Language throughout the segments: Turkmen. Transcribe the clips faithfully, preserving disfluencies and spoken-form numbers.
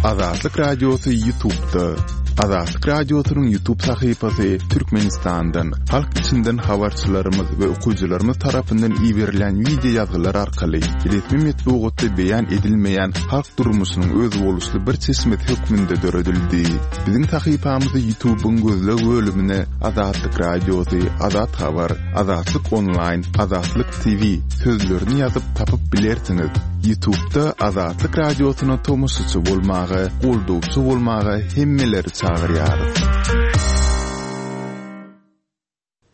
Azatlyk Radiosy YouTube'da. Azatlyk Radiosynyň YouTube sahypasy Türkmenistandan, halk içinden habarçylarymyz we okyjylarymyz tarapyndan iberilen wideo ýazgylar arkaly resmi metbugatda beýan edilmeýän halk durmuşynyň özboluşly bir çeşmesi hökmünde döredildi. Biziň sahypamyzy YouTube'yň gözleg bölümine Azatlyk Radiosy, Azat Habar, Azatlyk Online, Azatlyk T V sözlerini ýazyp tapyp bilersiňiz. YouTube'da Azatlyk Radiosyna tomaşaçy bolmaga, goldawçy bolmaga hemmeleri çagyrýarys.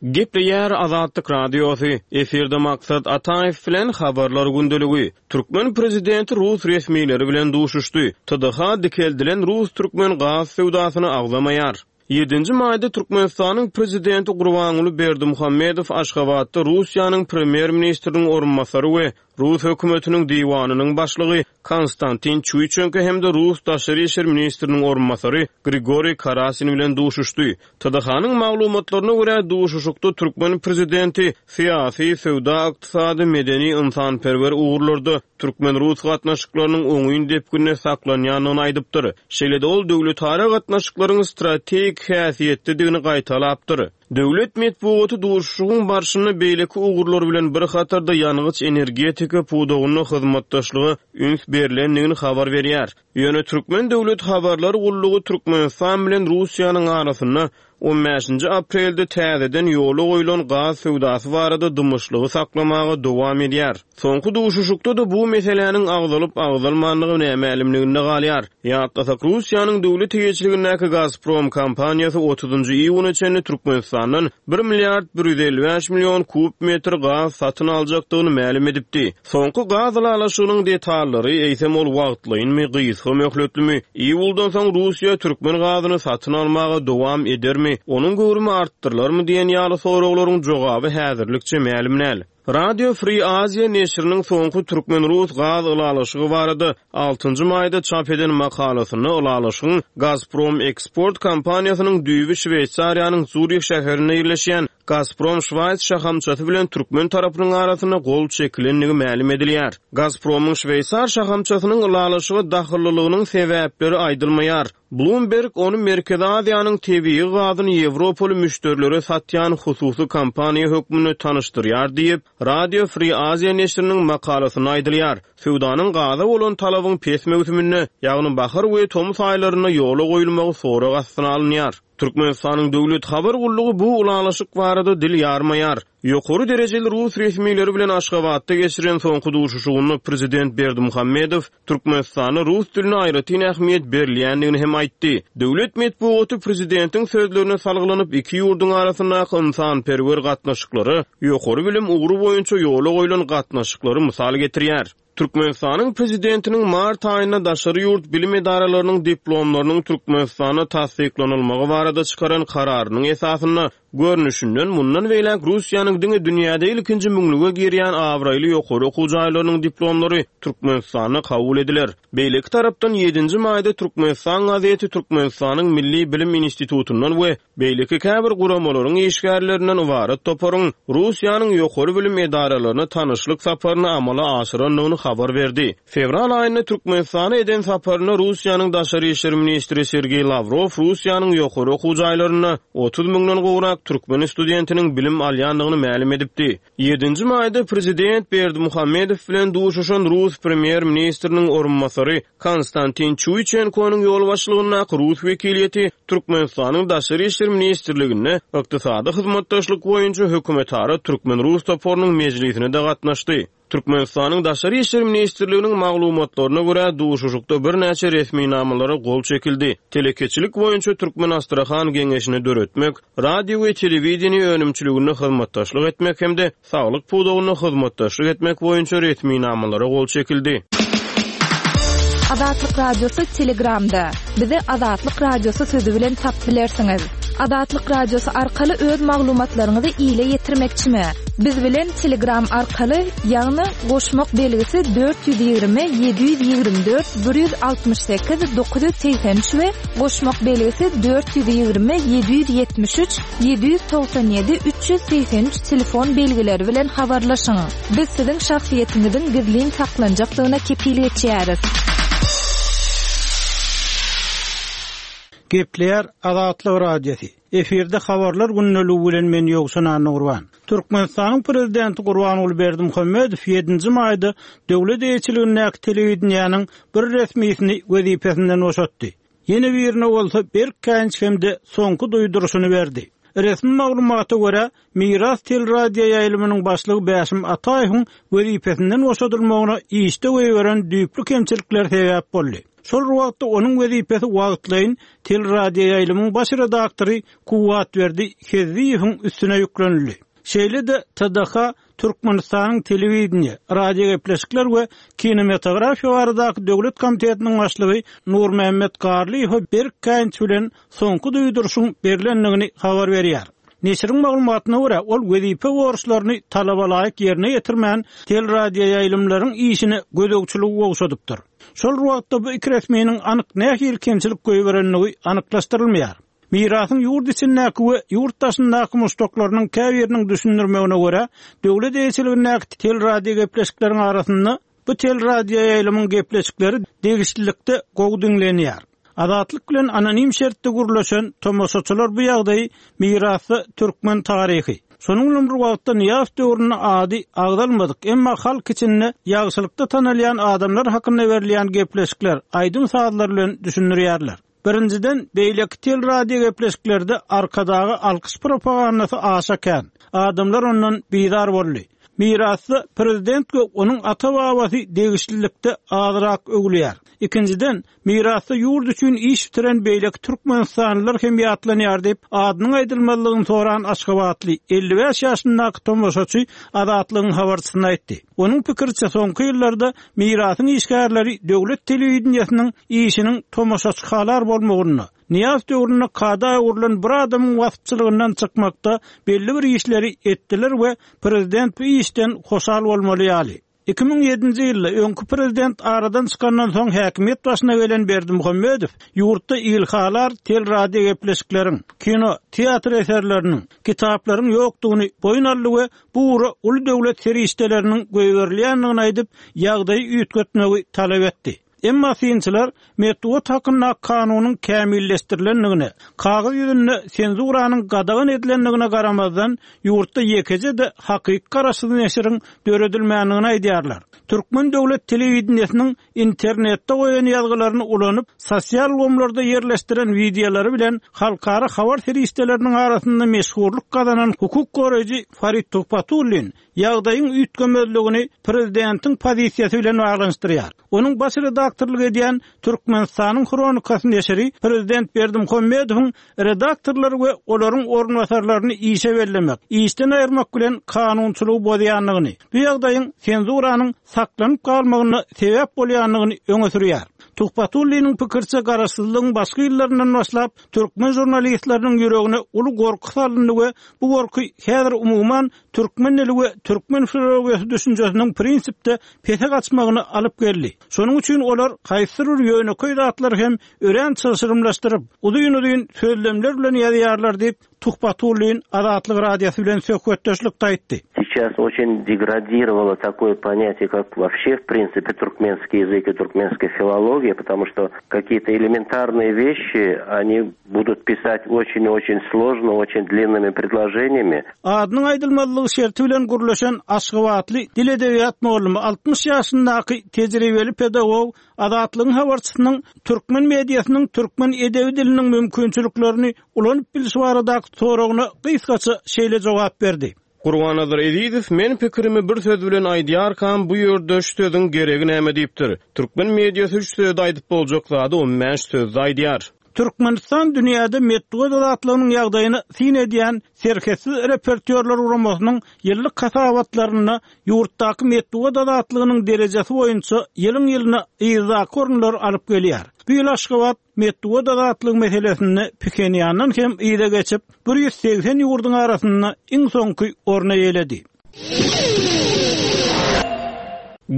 Gepleýär Azatlyk Radiosy. Efirde Maksat Ataýew bilen habarlar gündeligi. Türkmen prezidenti rus resmileri bilen duşuşdy. T D H dikeldilen rus-türkmen gaz söwdasyny agzamaýar. ýedinji maýda Türkmenistanyň prezidenti Gurbanguly Berdimuhamedow Aşgabatda Russiýanyň premýer-ministriniň orunbasary we Rus hökümetiniň diwanynyň başlygy Konstantin Çuýçenko hem-de Rus daşary işler ministriniň orunbasary Grigoriý Karasin bilen duşuşdy. T D H-nyň maglumatlaryna görä duşuşykda türkmen prezidenti syýasy, söwda, ykdysady, medeni, ynsanperwer ugurlarda türkmen-rus gatnaşyklarynyň oňyn depginde saklanýandygyny aýdypdyr. Şeýle-de ol döwletara gatnaşyklaryň strategik häsiýetlidigini gaýtalapdyr. Döwlet metbugaty duşuşygyň barşynda beýleki ugurlar bilen bir hatarda ýangyç energetika pudagynda hyzmatdaşlyga üns berilendigini habar berýär. Ýöne Türkmen döwlet habarlar gullugy Türkmenistan bilen Russiýanyň arasynda on bäşinji aprelde täzeden ýola goýlan gaz söwdasy barada dymyşlygy saklamaga dowam edýär. Soňky duşuşykda-da bu meseläniň agzalyp agzalmandygy nämälimliginde galýar. Ýatlasak, Russiýanyň döwlet eýeçiligindäki Gazprom kompaniýasy otuzynjy iýuna çenli Türkmenistandan bir milliard bir ýüz elli bäş million kub metr gaz satyn aljakdygyny mälim edipdi. Soňky gaz ylalaşygynyň detallary eýsem ol wagtlaýynmy, gysga möhletlimi, iýuldan soň Russiýa türkmen gazyny satyn almaga dowam edermi, onuň göwrümi artdyrylarmy diýen ýaly soraglaryň jogaby häzirlikçe mälim däl. Radio Free Asia neşiriniň soňky türkmen-rus gaz ylalaşygy barada altynjy maýda çap eden makalasynda ylalaşygyň Gazprom Eksport kompaniýasynyň düýbi Şweýsariýanyň Zürih şäherinde ýerleşýän Gazprom Şwaýs şahamçasy bilen türkmen tarapynyň arasynda gol çekilendigi mälim edilýär. Gazpromyň Şweýsar şahamçasynyň ylalaşyga dahyllylygynyň sebäpleri aýdylmaýar. Bloomberg ony Merkezi Aziýanyň tebigy gazyny Ýewropaly müşderilere satýan hususy kompaniýa hökmünde tanyşdyrýar diýip, Radio Free Asia neşiriniň makalasynda aýdylýar. Söwdanyň gaza bolan talabyň pes möwsüminde, ýagny bahar we tomus aýlarynda ýola goýulmagy sorag astyna alynýar. Türkmenistanyň döwlet habar gullugy bu ylalaşyk barada dil ýarmaýar. Ýokary derejeli rus resmileri bilen Aşgabatda geçiren soňky duşuşygynda prezident Berdimuhamedow Türkmenistanda rus diline aýratyn ähmiýet berilýändigini hem aýtdy. Döwlet metbugaty prezidentiň sözlerine salgylanyp iki ýurduň arasyndaky ynsanperwer gatnaşyklary, ýokary bilim ugry boýunça ýola goýlan gatnaşyklary mysal getirýär. Türkmenistanyň prezidentiniň mart aýynda daşary ýurt bilim edaralarynyň diplomlarynyň Türkmenistanda tassyklanylmagy barada çykaran kararynyň esasynda görnüşinden mundan beýläk Russiýanyň diňe dünýäde ilkinji müňlüge girýän abraýly ýokary okuw jaýlarynyň diplomlary Türkmenistanda kabul ediler. Beýleki tarapdan ýedinji maýda Türkmenistan gazeti Türkmenistanyň Milli Bilim Institutyndan we beýleki käbir guramalaryň işgärlerinden ybarat toparyň Russiýanyň ýokary bilim edaralaryna tanyşlyk saparyny amala aşyrandygyny habar berdi. Fewral aýynda Türkmenistana eden saparynda Russiýanyň daşary işler ministri Sergeý Lawrow Russiýanyň ýokary okuw jaýlarynda otuz müňden gowrak türkmen studentiniň bilim alýandygyny mälim edipdi. ýedinji maýda prezident Berdimuhamedow bilen duşuşan Rus premýer-ministriniň orunbasary Konstantin Çuýçenkonyň ýolbaşçylygyndaky Rus wekiliýeti Türkmenistanyň Daşary işler ministrliginde ykdysady hyzmatdaşlyk boýunça hökümetara türkmen-rus toparynyň mejlisine de gatnaşdy. Türkmenistanyň Daşary işler ministrliginiň maglumatlaryna görä duşuşykda birnäçe resminamalara gol çekildi. Telekeçilik boýunça Türkmen Astrahan geňeşini döretmek, radio we telewideniýe önümçiliginde hyzmatdaşlyk etmek hem-de saglyk pudagynda hyzmatdaşlyk etmek boýunça resminamalara gol çekildi. Azatlyk Radiosy Telegramda. Bizi Azatlyk Radiosy sözü bilen tap bilersiňiz. Azatlyk Radiosy arkaly öz maglumatlaryňyzy ile ýetirmekçimi? Biz bilen Telegram arkaly, ýagny goşmak belgisi dört ýüz ýigrimi, ýedi ýüz ýigrimi dört, bir ýüz altmyş sekiz, dokuz ýüz segsen üç we goşmak belgisi dört ýüz ýigrimi, ýedi ýüz ýetmiş üç, ýedi ýüz togsan ýedi, üç ýüz segsen üç telefon belgileri bilen habarlaşyň. Biz siziň şahsyýetiňiziň gizlin saklanjakdygyna kepil geçýäris. Gepleýär Azatlyk Radiosy. Efirde habarlar gündeligi bilen men Ýowşan Annagurban. Türkmenistanyň prezidenti Gurbanguly Berdimuhamedow ýedinji maýda döwlet eýeçiligindäki telewideniýäniň bir resmisini wezipesinden boşatdy. Ýene birine bolsa berk käýinç hem-de soňky duýduryşyny berdi. Resmi maglumata görä, Miras teleradio ýaýlymynyň başlygy Bäşim Ataýewiň wezipesinden boşadylmagyna işde goýberen düýpli kemçilikler sebäp boldy. Şol wagtda onuň wezipesi wagtlaýyn teleradio ýaýlymyň baş redaktory Kuwwatberdi Hezziýewiň üstüne ýüklenildi. Şeýle-de T D H Türkmenistanyň telewideniýe, radiogepleşikler we kinematografiýa baradaky döwlet komitetiniň başlygy Nurmämmet Garlyýewe berk käýinç bilen soňky duýduryşyň berlendigini habar berýär. Neşiriň maglumatyna görä, ol wezipe borçlaryny talabalaýyk ýerine ýetirmän, teleradio ýaýlymlaryň işine gözegçiligi gowşadypdyr. Şol wagtda bu iki resminiň anyk nähili kemçilik goýberendigi anyklaşdyrylmaýar. Mirasyň ýurt içindäki we ýurt daşyndaky muşdaklarynyň käbiriniň düşündirmegine görä, döwlet eýeçiligindäki teleradio gepleşikleriň arasynda bu teleradio ýaýlymyň gepleşikleri degişlilikde gowy diňlenýär. Azatlyk bilen anonim şertde gürleşen tomaşaçylar bu ýagdaýy mirasda türkmen taryhy, şonuň bilen bir wagtda Nyýazow döwründe ady agzalmadyk, emma halk içinde ýagşylykda tanalýan adamlar hakynda berilýän gepleşikler, aýdym-sazlar bilen düşündirýärler. Birinjiden, beýleki teleradio gepleşiklerde Arkadaga alkyş propagandasy aşa kän. Adamlar ondan bizar boldy. Mirasda prezident we onuň ata-babasy degişlilikde azrak öwülýär. Ikinjiden, mirasda ýurt üçin iş bitiren beýleki türkmenistanlylar hem ýatlanýar diýip, adynyň aýdylmazlygyny soran Aşgabatly elli bäş ýaşyndaky tomaşaçy Azatlygyň habarçysyna aýtdy. Onuň pikiriçe, soňky ýyllarda mirasyň işgärleri döwlet telewideniýesiniň işiniň tomaşaçy halar bolmagyny, Nyýazow döwründe kada öwrülen bir adamyň waspçylygyndan çykmakda belli bir işleri etdiler we prezident bu işden hoşal bolmaly ýaly. Iki müň ýedinji ýylda öňki prezident aradan çykandan soň häkimiýet başyna gelen Berdimuhamedow ýurtda ilhalar teleradio gepleşikleriň, kino, teatr eserleriniň, kitaplaryň ýokdugyny boýun aldy we bu ugra uly döwlet serişdeleriniň goýberilýändigini aýdyp, ýagdaýy üýtgetmegi talap etdi. Emma synçylar metbugat hakyndaky kanunyň kämilleşdirilendigine, kagyz ýüzünde senzuranyň gadagan edilendigine garamazdan, ýurtda ýekeje-de hakyky garaşsyz neşiriň döredilmändigini aýdýarlar. Türkmen döwlet telewideniýesiniň internetde goýan ýazgylaryny ulanyp, sosial ulgamlarda ýerleşdiren wideolary bilen halkara habar serişdeleriniň arasynda meşhurlyk gazanan hukuk goraýjy Farid Tuhbatullin ýagdaýyň üýtgemezligini prezidentiň pozisiýasy bilen baglanyşdyrýar. Onuň baş redaktorlyk edýän Türkmenistanyň Hronikasy neşiri prezident Berdimuhamedowyň redaktorlary we olaryň orunbasarlaryny işe bellemek, işden aýyrmak bilen kanunçylygy bozýandygyny, bu ýagdaýyň senzuranyň saklanyp galmagyna sebäp bolýandygyny öňe sürýär. Tuhbatulliniň pikiriçe, garaşsyzlygyň başky ýyllaryndan başlap türkmen žurnalistleriniň ýüregine uly gorky salyndy we bu gorky häzir umuman türkmen dili we türkmen filologiýasy düşünjesiniň prinsipde pese gaçmagyny alyp geldi. Şonuň üçin olar haýsydyr bir ýönekeý zatlary hem örän çylşyrymlaşdyryp, uzyn-uzyn sözlemler bilen ýazýarlar diýip, Tuhbatullin Azatlyk Radiosy bilen söhbetdeşlikde aýtdy. Сейчас очень деградировало такое понятие, как вообще, в принципе, туркменский язык и туркменская филология, потому что какие-то элементарные вещи они будут писать очень-очень сложно, очень длинными предложениями. Adynyň aýdylmazlygy şerti bilen gürleşen Aşgabatly dil edebiýat mugallymy altmyş ýaşyndaky tejribeli pedagog Azatlygyň habarçysynyň türkmen mediasynyň türkmen edebi diliniň mümkinçiliklerini ulanyp bilişi baradaky soragyna gysgaça şeýle jogap berdi. Gurbannazar Ezizow men pikirimi bir söz bilen aýdýarkam bu ýerde şu sözüň geregi näme diýipdir. Türkmen mediasy üç sözde aýdyp boljak zady on bäş sözde aýdýar. Türkmenistan dünýäde metbugat azatlygynyň ýagdaýyny syn edýän Serhetsiz reportýorlar guramasynyň ýyllyk hasabatlarynda ýurtdaky metbugat azatlygynyň derejesi boýunça ýylyň-ýylyna yzdaky orunlary alyp gelýär. Bu ýyl Aşgabat metbugat azatlygy meselesinde Phenýandan hem yza geçip, bir ýüz segsen ýurduň arasynda iň soňky orny eýeledi.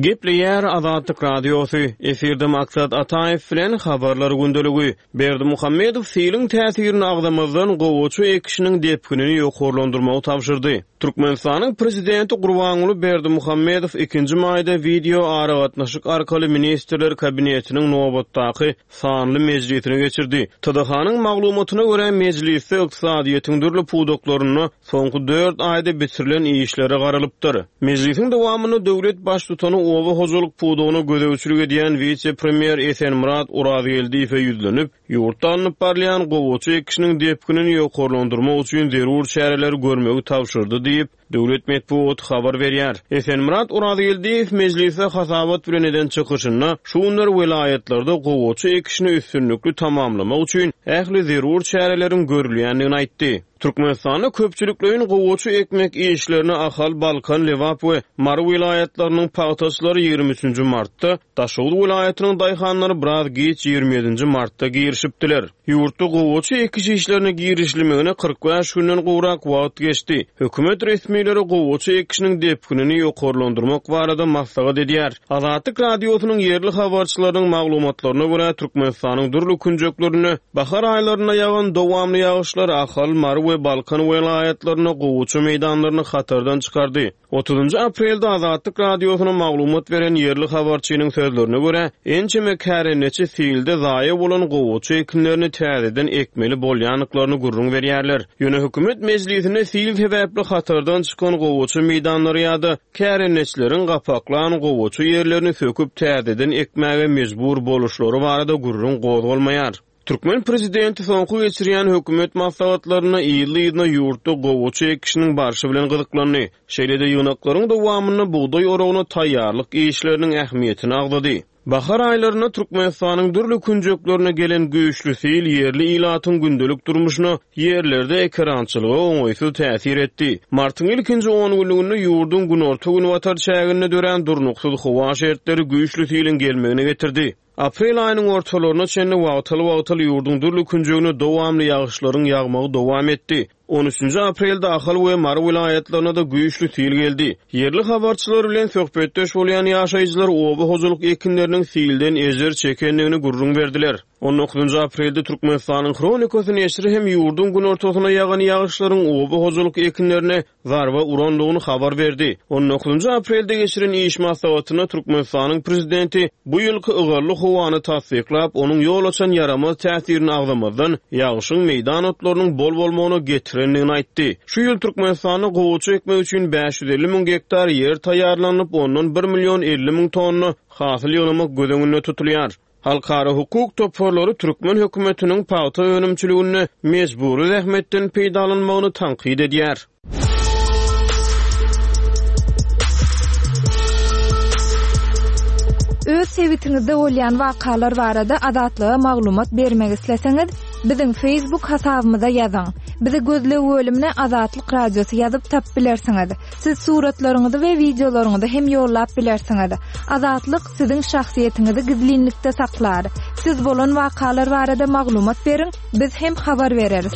Gepleýär Azatlyk Radiosy, efirde Maksat Ataýew bilen Habarlar gündeligi. Berdimuhamedow siliň täsirini agzamazdan gowaça ekişiniň depginini ýokarlandyrmagy tabşyrdy. Türkmenistanyň prezidenti Gurbanguly Berdimuhamedow ikinji maýda wideo aragatnaşyk arkaly Ministrler Kabinetiniň nobatdaky sanly mejlisini geçirdi. T D H-nyň maglumatyna görä, mejlisde ykdysadyýetiň dürli pudaklarynda soňky dört aýda bitirilen işlere garalypdyr. Mejlisiň dowamynda döwlet baştutany oba hojalyk pudagyna gözegçilik edýän wise-premýer Esenmyrat Orazgeldiýewe ýüzlenip, ýurtda alnyp barylýan gowaça ekişiniň depginini ýokarlandyrmak üçin zerur çäreleri görmegi tabşyrdy diýip, döwlet metbugaty habar berýär. Esenmyrat Orazgeldiýew mejlisde hasabat bilen eden çykyşynda şu günler welaýatlarda gowaça ekişini üstünlikli tamamlamak üçin ähli zerur çäreleriň görülýändigini aýtdy. Türkmenistanda köpçülikleýin gowaça ekmek işlerini Ahal, Balkan, Lebap we Mary welaýatlarynyň pagtaçylary ýigrimi üçünji martda, Daşoguz welaýatynyň daýhanlary biraz giç ýigrimi ýedinji martda girişipdiler. Ýurtda gowaça ekiş işlerine girişilmegine kyrk bäş günden gowrak wagt geçdi. Hökümet resmileri gowaça ekişiniň depginini ýokarlandyrmak barada maslahat edýär. Azatlyk Radiosynyň ýerli habarçylarynyň maglumatlaryna görä, Türkmenistanyň dürli künjeklerinde bahar aýlarynda ýagan dowamly ýagyşlar Ahal, Mary we Balkan welaýatlarynda gowaça meýdanlaryny hatardan çykardy. Otuzynjy aprelde Azatlyk Radiosyna maglumat beren ýerli habarçynyň sözlerine görä, ençeme kärendeçi silde zaýa bolan gowaça ekinlerini täzeden ekmeli bolýandyklaryny gürrüň berýärler. Ýöne hökümet mejlisinde sil sebäpli hatardan çykan gowaça meýdanlary ýa-da kärendeçileriň gapaklan gowaça ýerlerini söküp täzeden ekmäge mejbur boluşlary barada gürrüň gozgalmaýar. Türkmen prezidenti soňky geçirýän hökümet maslahatlarynda ýyly-ýylyna ýurtda gowaça ekişiniň barşy bilen gyzyklandy. Şeýle-de ýygnaklaryň dowamynda bugdaý oragyna taýýarlyk işleriniň ähmiýetini agzady. Bahar aýlarynda Türkmenistanyň dürli künjeklerine gelen güýçli sil ýerli ilatyň gündelik durmuşyna, ýerlerde ekerançylyga oňaýsyz täsir etdi. Martyň ilkinji on günlüginde ýurduň günorta-günbatar çäginde dörän durnuksyz howa şertleri güýçli siliň gelmegine getirdi. Aprel aýynyň ortalaryna çenli wagtal-wagtal ýurduň dürli künjegine dowamly ýagyşlaryň ýagmagy dowam etdi. On üçünji aprelde Ahal we Mary welaýatlaryna da güýçli sil geldi. Ýerli habarçylar bilen söhbetdeş bolýan ýaşaýjylar oba hojalyk ekinleriniň silden ejir çekendigini gürrüň berdiler. On dokuzynjy aprelde Türkmenistanyň Hronikasy neşiri hem ýurduň günortasyna ýagan ýagyşlaryň oba hojalyk ekinlerine zarba urandygyny habar berdi. On dokuzynjy aprelde geçiren iş maslahatynda Türkmenistanyň prezidenti bu ýylky ygally howany tassyklap, onuň ýol açan ýaramaz täsirini agzamazdan ýagyşyň meýdan otlarynyň bol bolmagyna getirendigini aýtdy. Şu ýyl Türkmenistanda gowaça ekmek üçin bäş ýüz elli müň gektar ýer taýýarlanyp, ondan bir million elli müň tonna hasyl ýygnamak göz öňünde tutulýar. Halkara hukuk toparlary türkmen hökümetiniň pagta önümçiliginde mejbury zähmetden peýdalanmagyny tankyt edýär. Öz sebitiňizde bolýan wakalar barada Azatlyga maglumat bermek isleseňiz, biziň Facebook hasabymyza ýazyň. Bizi gözleg bölümine Azatlyk Radiosy ýazyp tap bilersiňiz. Siz suratlaryňyzy we wideolaryňyzy hem ýollap bilersiňiz. Azatlyk siziň şahsyýetiňizi gizlinlikde saklar. Siz bolan wakalar barada maglumat beriň, biz hem habar bereris.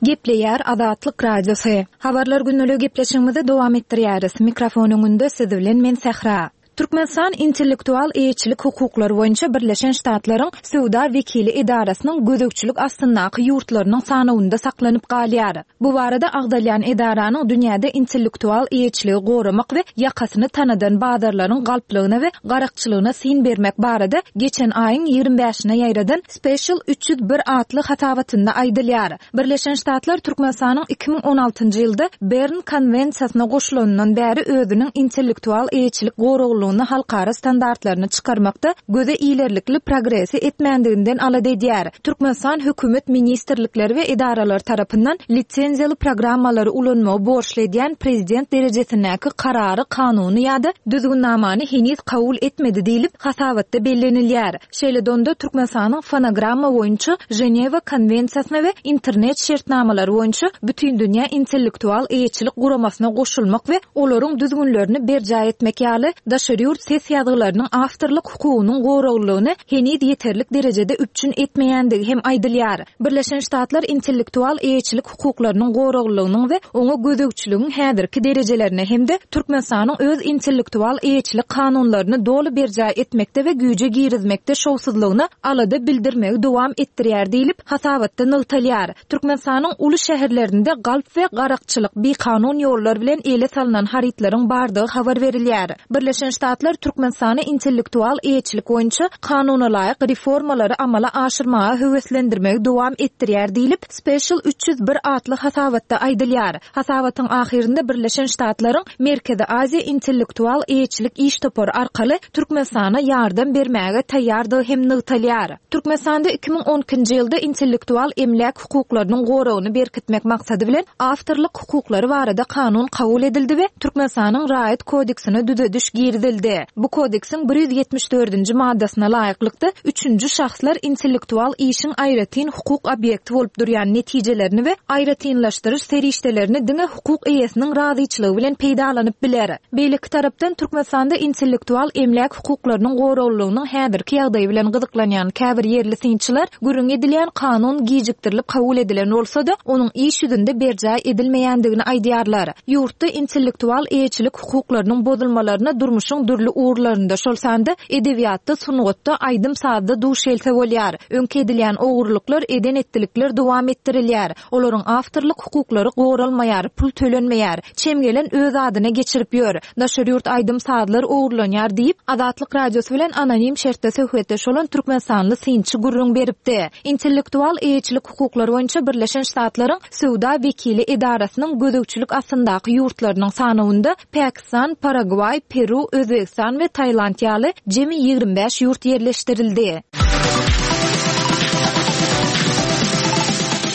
Gepleýär Azatlyk Radiosy. Habarlar günlügi gepleşigimizi dowam etdirýäris. Mikrofon öňünde siz bilen men Sähra. Türkmenistan intellektual eýeçilik hukuklary boýunça Birleşen Ştatlaryň söwda wekili edarasynyň gözegçilik astyndaky ýurtlarynyň sanawynda saklanyp galýar. Bu barada agzalýan edaranyň dünýäde intellektual eýeçiligi goramak we ýakasyny tanadan bazarlaryň galplygyna we garakçylygyna syn bermek barada geçen aýyň ýigrimi bäşine ýaýradan Special üç ýüz bir atly hasabatynda aýdylýar. Birleşen Ştatlar Türkmenistanyň iki müň on altynjy ýylda Bern konwensiýasyna goşulanyndan bäri özüniň intellektual eýeçilik goraglygyny halkara standartlaryny çykarmakda göze ilerlikli progresi etmändiginden alada edýär. Türkmenistan hökümet ministrlikleri we edaralar tarapyndan lisenziýaly programmalary ulanmagy borçly edýän prezident derejesindäki karary, kanuny ýa-da düzgünnamany heniz kabul etmedi diýlip hasabatda bellenilýär. Şeýle donda Türkmenistanyň fonogramma boýunça Ženewa konwensiýasyna we internet şertnamalary boýunça Bütindünýä intellektual eýeçilik guramasyna goşulmak we olaryň düzgünlerini berjaý etmek ýaly daşary daşary ýurt ses ýazgylarynyň awtorlyk hukugynyň goraglylygyny heniz ýeterlik derejede üpjün etmeýändigi hem aýdylýar. Birleşen Ştatlar intellektual eýeçilik hukuklarynyň goraglylygynyň we oňa gözegçiligiň häzirki derejelerine hem-de Türkmenistanyň öz intellektual eýeçilik kanunlaryny doly berjaý etmekde we güýje girizmekde şowsuzlygyna alada bildirmegi dowam etdirýär diýlip, hasabatda nygtalýar. Türkmenistanyň uly şäherlerinde galp we garakçylyk bikanun ýollar bilen ele salynan harytlaryň bardygy habar berilýär. Birleşen Ştatlar Türkmenistany intellektual eýeçilik boýunça kanunalaýyk reformalary amala aşyrmaga höweslendirmegi dowam etdirýär diýlip, Special üç ýüz bir atly hasabatda aýdylýar. Hasabatyň ahyrynda Birleşen Ştatlaryň Merkezi Aziýa intellektual eýeçilik iş topary arkaly Türkmenistana ýardam bermäge taýýardygy hem nygtalýar. Türkmenistanda iki müň on ikinji ýylda intellektual emläk hukuklarynyň goragyny berkitmek maksady bilen awtorlyk hukuklary barada kanun kabul edildi we Türkmenistanyň raýat kodeksine düzediş girizildi. Bu kodeksiň bir ýüz ýetmiş dördünji maddasyna laýyklykda üçünji şahslar intellektual işiň aýratyn hukuk obýekti bolup durýan netijelerini we aýratynlaşdyryş serişdelerini diňe hukuk eýesiniň razyçylygy bilen peýdalanyp biler. Beýleki tarapdan Türkmenistanda intellektual emläk hukuklarynyň goraglylygynyň häzirki ýagdaýy bilen gyzyklanýan käbir ýerli synçylar gürrüň edilýän kanun gijikdirilip kabul edilen bolsa-da, onuň iş ýüzünde berjaý edilmeýändigini aýdýarlar. Ýurtda intellektual eýeçilik hukuklarynyň bozulmalaryna durmuşyň dürli ugurlarynda, şol sanda edebiýatda, sungatda, aýdym-sazda duş gelse bolýar. Öňki edilýän ogurlyklar, eden etdilikler dowam etdirilýär. Olaryň awtorlyk hukuklary goralmaýar, pul tölenmeýär. Çem gelen öz adyna geçirip ýör. Daşary ýurt aýdym-sazlar ogurlanýar diýip, Azatlyk Radiosy bilen anonim şertde söhbetdeş bolan Türkmenistanly synçy gürrüň beripdi. Intellektual eýeçilik hukuklary boýunça Birleşen Ştatlaryň söwda wekili edarasynyň gözegçilik astyndaky ýurtlarynyň sanawynda Pakistan, Paragwaý, Peru, Özbegistan we Tailand ýaly jemi ýigrimi bäş ýurt ýerleşdirildi.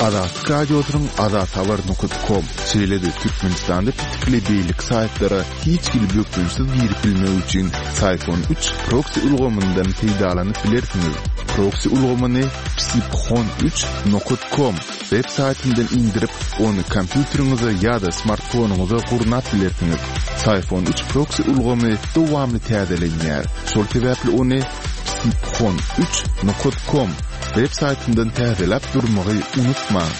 Azatlyk Radiosynyň azathabar nokta com şeýle-de Türkmenistanda pitikli beýleki saýtlara hiç hili bökdençsiz girip bilmek üçin Syphon üç proxy ulgamyndan peýdalanyp bilersiňiz. Proxy ulgamyny psiphon üç nokta com web saýtyndan indirip, ony kompýuteriňize ýa-da smartfonyňyza gurnap bilersiňiz. Syphon üç proxy ulgamy dowamly täzelenýär. Şol sebäpli ony psiphon üç nokta com web saýtyndan täzeläp durmagy unutmaň.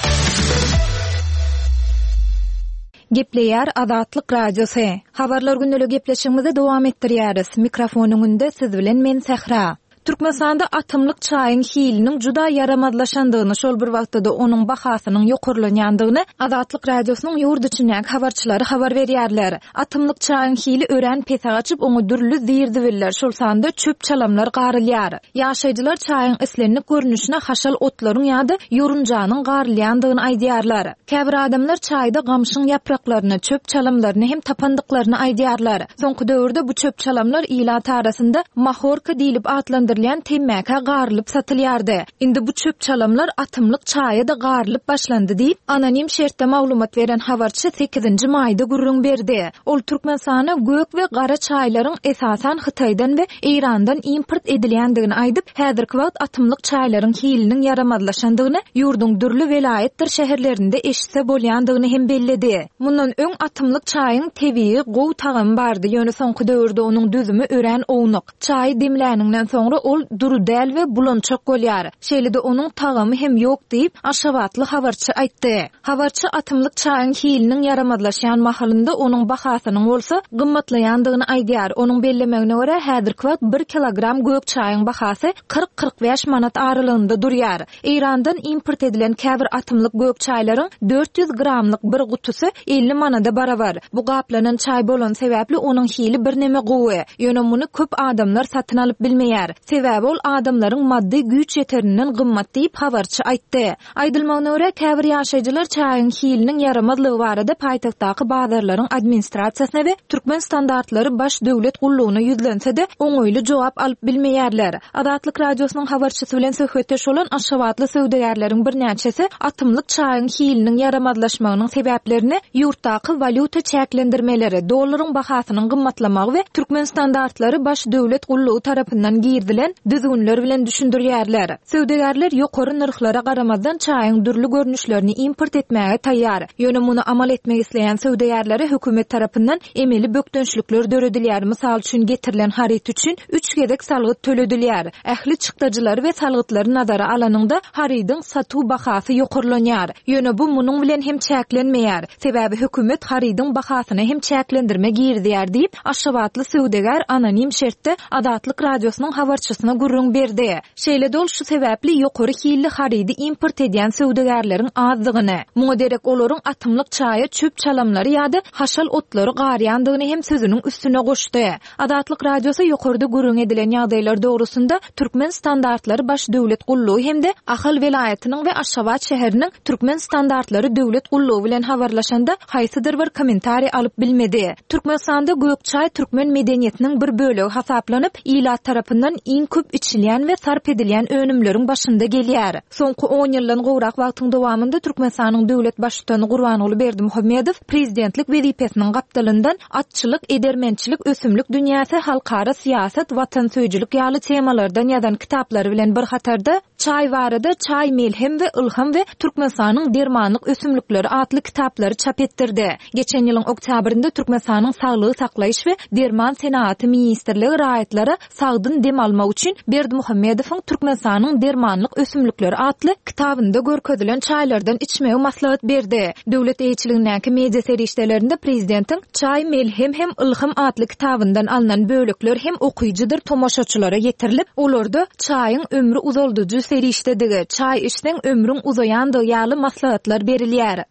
Gepleýär Azatlyk Radiosy. Habarlar gündelik gepleşigimizi dowam etdirýäris. Mikrofon öňünde siz bilen men Sähra. Türkmenistanda atymlyk çaýyň hiliniň juda ýaramazlaşandygyny, şol bir wagtda-da onuň bahasynyň ýokarlanýandygyny Azatlyk Radiosynyň ýurt içindäki habarçylary habar berýärler. Atymlyk çaýyň hili örän pese gaçyp, oňa dürli zir-zibiller, şol sanda çöp çalamlar garylýar. Ýaşaýjylar çaýyň islendik görnüşine haşal otlaryň ýa-da ýorunjanyň garylýandygyny aýdýarlar. Käbir adamlar çaýda gamşyň ýapraklaryny, çöp çalamlaryny hem tapandyklaryny aýdýarlar. Soňky döwürde bu çöp çalamlar ilat arasynda mahorka diýlip atlandyrylýan temmäkä garylyp satylýardy. Indi bu çöp çalamlar atymlyk çaýa da garylyp başlandy diýip, anonim şertde maglumat beren habarçy sekizinji maýda gürrüň berdi. Ol Türkmenistana gök we gara çaýlaryň esasan Hytaýdan we Eýrandan import edilýändigini aýdyp, häzirki wagt atymlyk çaýlaryň hiliniň ýaramazlaşandygyny, ýurduň dürli welaýatdyr şäherlerinde eşitse bolýandygyny hem belledi. Mundan öň atymlyk çaýyň tebigy gowy tagamy bardy, ýöne soňky döwürde onuň düzümi örän ownuk. Çaýy demläninden soňra ol duru däl we bulançak bolýar. Şeýle-de onuň tagamy hem ýok diýip, Aşgabatly habarçy aýtdy. Habarçy atymlyk çaýyň hiliniň ýaramazlaşýan mahalynda onuň bahasynyň bolsa gymmatlaýandygyny aýdýar. Onuň bellemegine görä häzirki wagt bir kilogram gök çaýyň bahasy kyrk-kyrk bäş manat aralygynda durýar. Eýrandan import edilen käbir atymlyk gök çaýlaryň dört ýüz gramlyk bir gutusy elli manada barabar. Bu gaplanan çaý bolan sebäpli onuň hili bir neme gowy. Ýöne muny köp adamlar satyn alyp bilmeýär. Sebäbi ol adamlaryň maddy güýç ýeterinden gymmat diýip habarçy aýtdy. Aýdylmagyna görä käbir ýaşaýjylar çaýyň hiliniň ýaramazlygy barada paýtagtdaky bazarlaryň administrasiýasyna we Türkmen standartlary baş döwlet gullugyna ýüzlense-de oňaýly jogap alyp bilmeýärler. Azatlyk Radiosynyň habarçysy bilen söhbetdeş bolan Aşgabatly söwdagärleriň birnäçesi atymlyk çaýyň hiliniň ýaramazlaşmagynyň sebäplerini ýurtdaky walýuta çäklendirmeleri, dollaryň bahasynyň gymmatlamagy we Türkmen standartlary baş döwlet gullugy tarapyndan girizilen bilen düzgünler bilen düşündirýärler. Söwdagärler ýokary nyrhlara garamazdan çaýyň dürli görnüşlerini import etmäge taýýar. Ýöne muny amal etmek isleýän söwdagärlere hökümet tarapyndan emeli bökdençlikler döredilýär. Mysal üçin getirilen haryt üçin üç gezek salgyt töledilýär. Ähli çykdajylary we salgytlary nazara alanyňda harydyň satuw bahasy ýokarlanýar. Ýöne bu munuň bilen hem çäklenmeýär. Sebäbi hökümet harydyň bahasyna hem çäklendirme girizýär diýip, Aşgabatly söwdagär anonim şertde Azatlyk radiosynyň habarçysyna gürrüň berdi. Şeýle dol şu sebäpli ýokary hilli harydy import edýän söwdagärleriň azdygyny, muňa derek olaryň atymlyk çaýa çöp çalamlary ýa-da haşal otlary garýandygyny hem sözüniň üstüne goşdy. Azatlyk radiosy ýokarda gürrüň edilen ýagdaýlar dogrusynda Türkmen standartlary baş döwlet gullugy hem-de Ahal welaýatynyň we Aşgabat şäheriniň Türkmen standartlary döwlet gullugy bilen habarlaşanda haýsydyr bir kommentariý alyp bilmedi. Türkmenistanda gök çaý türkmen medeniýetiniň bir bölegi hasaplanyp, ilat tarapyndan iň köp içilýän we sarp edilýän önümleriň başynda gelýär. Soňky on ýyldan gowrak wagtyň dowamynda Türkmenistanyň döwlet baştutany Gurbanguly Berdimuhamedow prezidentlik wezipesiniň gapdalyndan atçylyk, edermençilik, ösümlik dünýäsi, halkara syýasat, watansöýüjilik ýaly temalardan ýazan kitaplary bilen bir hatarda Çaý barada Çaý melhem we ylham we Türkmenistanyň dermanlyk ösümlikleri atly kitaplary çap etdirdi. Geçen ýylyň oktýabrynda Türkmenistanyň Saglygy saklaýyş we derman senagaty ministrligi raýatlara sagdyn dem almak üçin Berdimuhamedowyň Türkmenistanyň dermanlyk ösümlikleri atly kitabynda görkezilen çaýlardan içmegi maslahat berdi. Döwlet eýeçiligindäki media serişdelerinde prezidentiň Çaý melhem hem ylham atly kitabyndan alnan bölekler hem okyjydyr tomaşaçylara ýetirilip, olarda çaýyň ömri uzaldyjy serişdedigi, çaý içseň ömrüň uzaýandygy ýaly maslahatlar berilýär.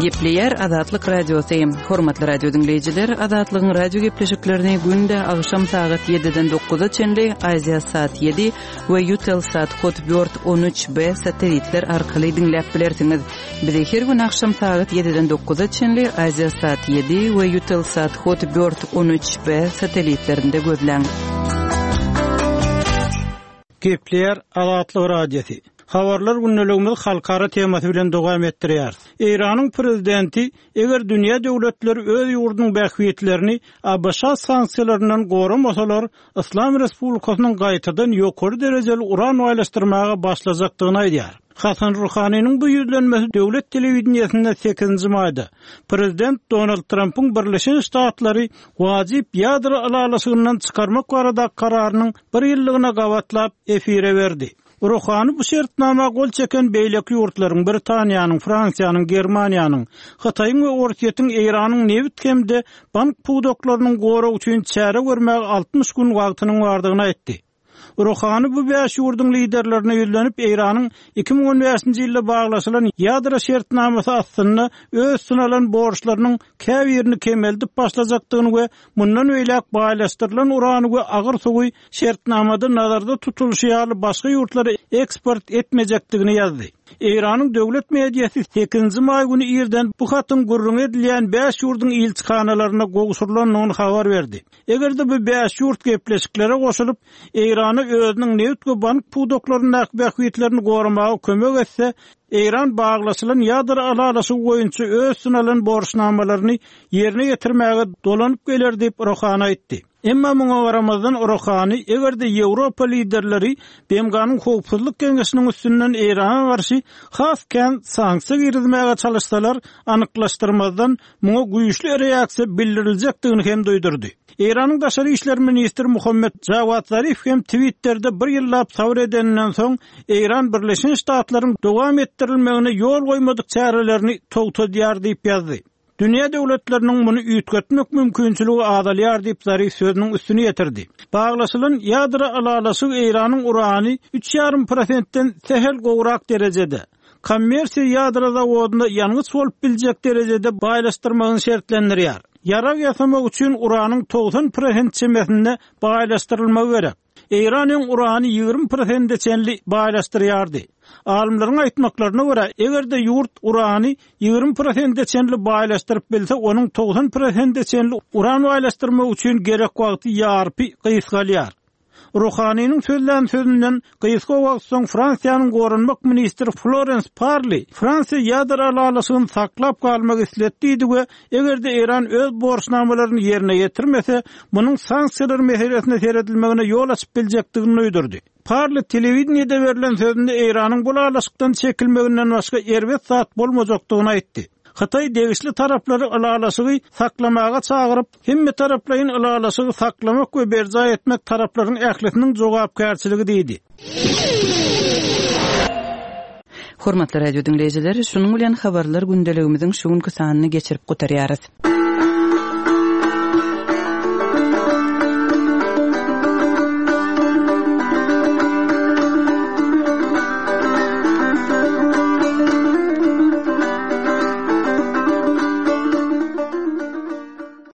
Gepleýär Azatlyk Radiosy. Hormatly radio diňleýjiler, Azatlygyň radio gepleşiklerini günde agşam sagat ýediden dokuza çenli Aziýa saat ýedi we Eutelsat Hotbird on üç B satelitler arkaly diňläp bilersiňiz. Bizi her gün agşam sagat ýediden dokuza çenli Aziýa saat ýedi we Eutelsat Hotbird on üç B satelitlerinde gözläň. Gepleýär Azatlyk Radiosy. Habarlar gündeligimiz halkara temasy bilen dowam etdirýär. Eýranyň prezidenti eger dünýä döwletleri öz ýurdunyň bähbitlerini A B Ş sanksiýalaryndan goramasalar, Islam Respublikasynyň gaýtadan ýokary derejeli uran baýlaşdyrmaga başlajakdygyny aýdýar. Hasan Ruhaniniň bu ýüzlenmesi döwlet telewideniýesinde sekizinji maýda Prezident Donald Trumpyň Birleşen Ştatlary wajyp ýadro ylalaşygyndan çykarmak barada kararynyň bir ýyllygyna gabatlap efire berdi. Ruhani bu şertnama gol çeken beýleki ýurtlaryň Britaniýanyň, Fransiýanyň, Germaniýanyň, Hytaýyň we Orsýetiň Eýranyň nebit hem-de bank pudaklarynyň goragy üçin çäre görmäge altmyş gün wagtynyň bardygyny aýtdy. Ruhani bu bäş ýurduň liderlerine ýüzlenip Eýranyň iki müň on bäşinji ýylda baglaşylan ýadro şertnamasy astynda öz synalan borçlarynyň käbirini kemeldip başlajakdygyny we mundan öýläk baýlaşdyrylan urany we agyr suwy şertnamada nazarda tutulyşy ýaly başga ýurtlara eksport etmejekdigini ýazdy. Eýranyň döwlet mediasy sekizinji maý güni irden bu hatyň gürrüň edilýän bäş ýurduň ilçihanalaryna gowşurylandygyny habar berdi. Eger-de bu bäş ýurt gepleşiklere goşulyp, Eýrany özüniň nebit we bank pudaklaryndaky bähbitlerini goramaga kömek etse, Eýran baglaşylan ýadro ylalaşygy boýunça öz synalan borçnamalaryny ýerine ýetirmäge dolanyp geler diýip Ruhani aýtdy. Emma muňa garamazdan Ruhani eger-de Ýewropa liderleri B M G-nyň howpsuzlyk geňeşiniň üstünden Eýrana garşy has kän sanksiýa girizmäge çalışsalar, anyklaşdyrmazdan muňa güýçli reaksiýa bildiriljekdigini hem duýdurdy. Eýranyň daşary işler ministri Muhammed Jawad Zarif hem Twitter'de bir ýyllap sabr edeninden soň Eýran Birleşen Ştatlaryň dowam etdirilmegine ýol goýmadyk çärelerini togtadýar diýip ýazdy. Dünýä döwletleriniň muny üýtgetmek mümkinçiligi azalýar diýip Zarif sözüniň üstüni ýetirdi. Baglaşylan ýadro ylalaşygy Eýranyň urany üç ýarym prosentden sähel gowrak derejede, kommersiýa ýadro zawodynda ýangyç bolup biljek derejede baýlaşdyrmagyny şertlendirýär. Ýarag ýasamak üçin uranyň togsan prosent çemesinde baýlaşdyrylmagy gerek. Eýranyň urany ýigrimi prosente çenli baýlaşdyrýardy. Alymlaryň aýtmaklaryna görä, eger-de ýurt urany ýigrimi prosente çenli baýlaşdyryp bilse, onuň togsan prosente çenli uran baýlaşdyrmak üçin gerek wagty ýarpy gysgalýar. Ruhaniniň sözlän sözünden gysga wagt soň Fransiýanyň goranmak ministri Florence Parly Fransiýa ýadro ylalaşygyny saklap galmak isledi diýdi we eger-de Eýran öz borçnamalaryny ýerine ýetirmese, munuň sanksiýalar meselesine seredilmegine ýol açyp biljekdigini duýdurdy. Parly telewideniýede berlen sözünde Eýranyň bu ylalaşykdan çekilmeginden başga erbet zat bolmajakdygyny aýtdy. Hytaý degişli taraplary ylalaşygy saklamaga çagyryp, hemme taraplaýyn ylalaşygy saklamak we berjaý etmek taraplaryň ählisiniň jogapkärçiligi diýdi. Hormatly radio diňleýjiler, şunuň bilen habarlar gündeligimiziň şu günki sanyny geçirip gutarýarys.